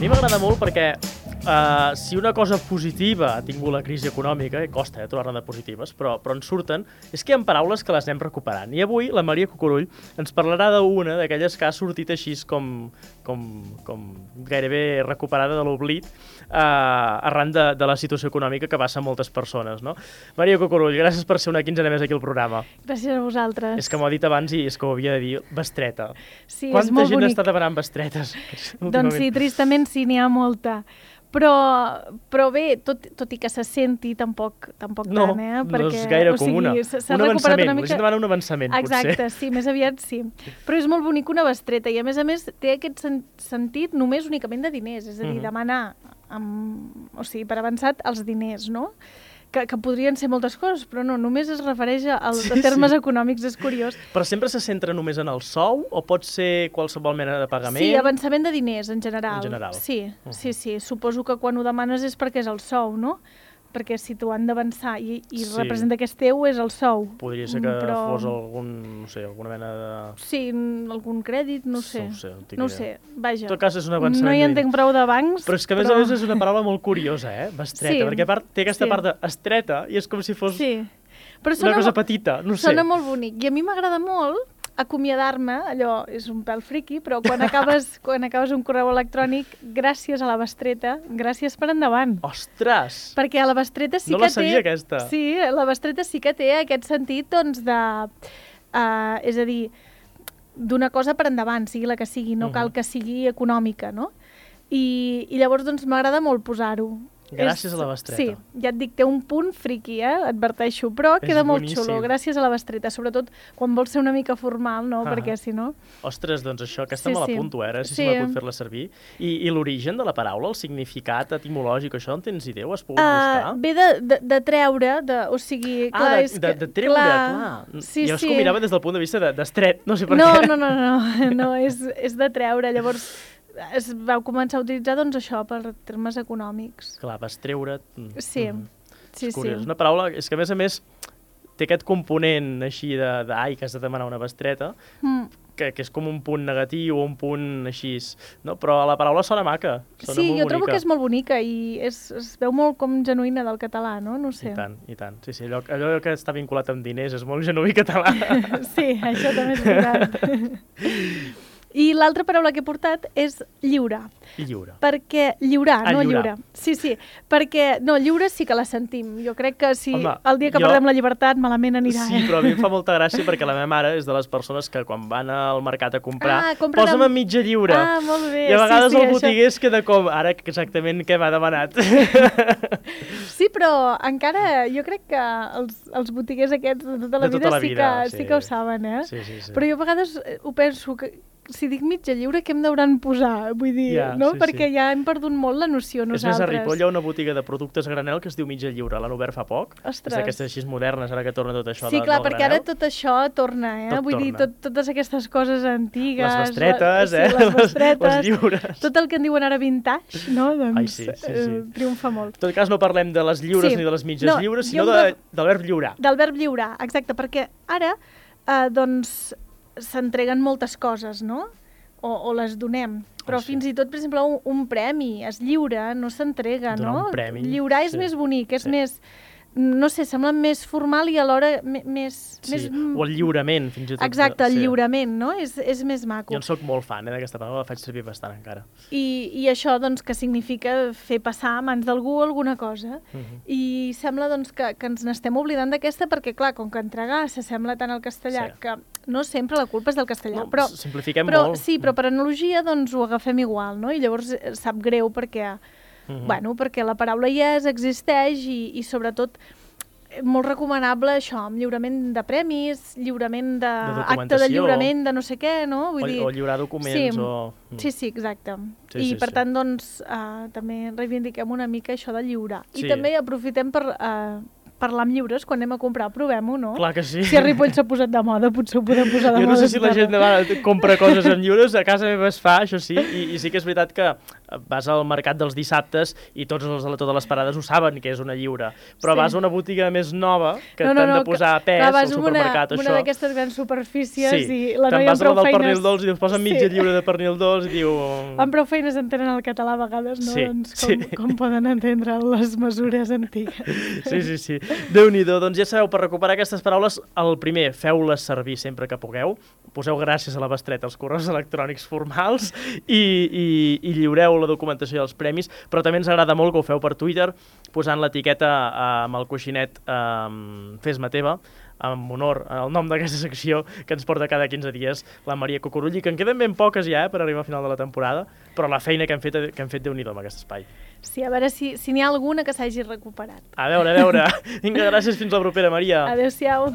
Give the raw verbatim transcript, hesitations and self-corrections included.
mi m'agrada molt perquè uh, si una cosa positiva ha tingut la crisi econòmica, i costa eh, trobar-ne de positives, però, però en surten, és que hi ha paraules que les anem recuperant. I avui la Maria Cucurull ens parlarà d'una d'aquelles que ha sortit així com, com, com gairebé recuperada de l'oblit uh, arran de, de la situació econòmica que passa a moltes persones. No? Maria Cucurull, gràcies per ser una quinzena més aquí al programa. Gràcies a vosaltres. És que m'ho ha dit abans i és que ho havia de dir, bestreta. Sí, Quanta és molt gent bonic. està demanant bestretes? Doncs sí, tristament sí, n'hi ha molta. Però, però bé, tot, tot i que se senti, tampoc, tampoc no, tant, eh? Perquè, no és gaire o sigui, comuna. Un avançament, una mica... la gent demana un avançament, Exacte, potser. sí, més aviat sí. Però és molt bonic una bestreta i a més a més té aquest sen sentit només únicament de diners, és a dir, mm-hmm. demanar amb, o sigui, per avançat els diners, no? Que, que podrien ser moltes coses, però no, només es refereix als sí, termes sí. econòmics, és curiós. Però sempre se centra només en el sou o pot ser qualsevol mena de pagament? Sí, avançament de diners, en general. En general. Sí, uh-huh. sí, sí. Suposo que quan ho demanes és perquè és el sou, no? Perquè si t'ho han d'avançar i, i sí. representa que és teu, és el sou. Podria ser que però... fos algun, no sé, alguna mena de... Sí, algun crèdit, no sé. No sé, no sé, vaja. En tot cas és un avançament. No hi entenc prou de bancs, però... és que a més però... a més és una paraula molt curiosa, eh? Bestreta, sí. perquè a part té aquesta sí. part d'estreta i és com si fos sí. però una cosa petita, no sé. Sona molt bonic. I a mi m'agrada molt acomiadar-me, allò és un pèl friqui, però quan acabes, quan acabes un correu electrònic, gràcies a la bestreta, gràcies per endavant. Ostres! Perquè a la bestreta sí no que la sabia, té... aquesta. Sí, la bestreta sí que té aquest sentit, doncs, de... Uh, és a dir, d'una cosa per endavant, sigui la que sigui, no uh-huh. cal que sigui econòmica, no? I, i llavors, doncs, m'agrada molt posar-ho. Gràcies és, a la bestreta. Sí, ja et dic, té un punt friqui, eh? Adverteixo, però és queda molt boníssim. xulo, gràcies a la bestreta, sobretot quan vols ser una mica formal, no? Ah. Perquè si no... Ostres, doncs això, aquesta sí, me sí. l'apunto, eh? Ara sí, sí. si me pot fer-la servir. I, i l'origen de la paraula, el significat etimològic, això en tens idea? Ho has pogut uh, buscar? Ve de, de, de treure, de, o sigui... Ah, clar, de, és de, que, de treure, clar. clar. Sí, jo és sí. que ho mirava des del punt de vista d'estret, de, no sé per no, què. No, no, no, no, no és, és de treure, llavors... es vau començar a utilitzar, doncs, això, per termes econòmics. Clar, vas treure... Sí, mm. sí, és curiós. sí. Una paraula, és que a més a més té aquest component així de, de ai, que has de demanar una bestreta, mm. que, que és com un punt negatiu o un punt així, no? Però la paraula sona maca, sona sí, molt jo trobo bonica. que és molt bonica i és, es veu molt com genuïna del català, no? No sé. I tant, i tant. Sí, sí, allò, allò que està vinculat amb diners és molt genuí català. Sí, això també és veritat. I l'altra paraula que he portat és lliure. Lliure. Perquè lliurar, ah, no lliurar. lliure. Sí, sí, perquè, no, lliure sí que la sentim. Jo crec que si Home, el dia que jo... perdem la llibertat malament anirà. Sí, eh? però a mi em fa molta gràcia perquè la meva mare és de les persones que quan van al mercat a comprar, ah, compren posa'm amb mitja lliure. Ah, molt bé. I a vegades sí, sí, el botiguer això... es queda com, ara exactament què m'ha demanat. Sí, però encara jo crec que els, els botiguers aquests de tota la, de tota vida, la vida sí, que, sí. sí que ho saben, eh? Sí, sí, sí. Però jo a vegades ho penso que si dic mitja lliure, què em deuran posar? Vull dir, ja, no? Sí, Perquè sí. ja hem perdut molt la noció nosaltres. És més, a Ripoll hi ha una botiga de productes a granel que es diu mitja lliure. L'han obert fa poc. Ostres. És d'aquestes així modernes, ara que torna tot això sí, de, clar, del perquè granel. ara tot això torna, eh? Tot Vull torna. dir, tot, totes aquestes coses antigues... Les bestretes, la, eh? Sí, les bestretes. Les lliures. Tot el que en diuen ara vintage, no? Doncs Ai, sí, sí, sí. Eh, triomfa molt. En tot cas, no parlem de les lliures sí. ni de les mitges no, lliures, sinó de, de, del verb lliurar. Del verb lliurar, exacte, perquè ara, eh, doncs, s'entreguen moltes coses, no? O, o les donem. Però oh, sí. fins i tot, per exemple, un, un premi es lliura, no s'entrega, no? Donar un premi. Lliurar és sí. més bonic, és sí. més... No sé, sembla més formal i alhora més... Sí, més... o el lliurament, fins i tot. Exacte, el sí. lliurament, no? És, és més maco. Jo en soc molt fan, eh, d'aquesta paraula, la faig servir bastant encara. I, i això, doncs, que significa fer passar a mans d'algú alguna cosa. Uh -huh. I sembla, doncs, que, que ens n'estem oblidant d'aquesta perquè, clar, com que entregar s'assembla tant al castellà sí. que no sempre la culpa és del castellà. No, però, simplifiquem però, molt. Sí, però per analogia, doncs, ho agafem igual, no? I llavors sap greu perquè... Uh-huh. Bueno, perquè la paraula hi és, existeix i, i sobretot molt recomanable això, amb lliurament de premis, lliurament de, de acte de lliurament de no sé què, no? Vull o, dir... o lliurar documents sí, o... Sí, sí, exacte. Sí, I sí, per sí. tant, doncs, uh, també reivindiquem una mica això de lliurar. Sí. I també aprofitem per... Uh, parlar amb lliures, quan anem a comprar, provem-ho, no? Clar que sí. Si a Ripoll s'ha posat de moda, potser ho podem posar de jo moda. Jo no sé si la gent de compra coses amb lliures, a casa meva es fa, això sí, i, i sí que és veritat que vas al mercat dels dissabtes i tots els de totes les parades ho saben que és una lliure, però Sí. vas a una botiga més nova que No, no, t'han no, de posar a que- pes clar, vas al a una- supermercat, una això. d'aquestes grans superfícies Sí, i la te'n noia vas amb a la prou del pernil feines... dolç i et posen mitja Sí. lliure de pernil dolç i diu... Amb prou feines entenen el català a vegades, no? Sí, Doncs com, sí. com poden entendre les mesures antigues. Sí, sí, sí. Déu-n'hi-do. Doncs ja sabeu, per recuperar aquestes paraules, el primer, feu-les servir sempre que pugueu, poseu gràcies a la bestreta als correus electrònics formals i, i, i lliureu la documentació dels premis, però també ens agrada molt que ho feu per Twitter, posant l'etiqueta eh, amb el coixinet eh, Fes-me teva, amb honor al nom d'aquesta secció que ens porta cada quinze dies la Maria Cucurull, i que en queden ben poques ja eh, per arribar al final de la temporada, però la feina que han fet, que han fet Déu-n'hi-do amb aquest espai. Sí, a veure si, si n'hi ha alguna que s'hagi recuperat. A veure, a veure. Vinga, gràcies, fins la propera, Maria. Adéu-siau.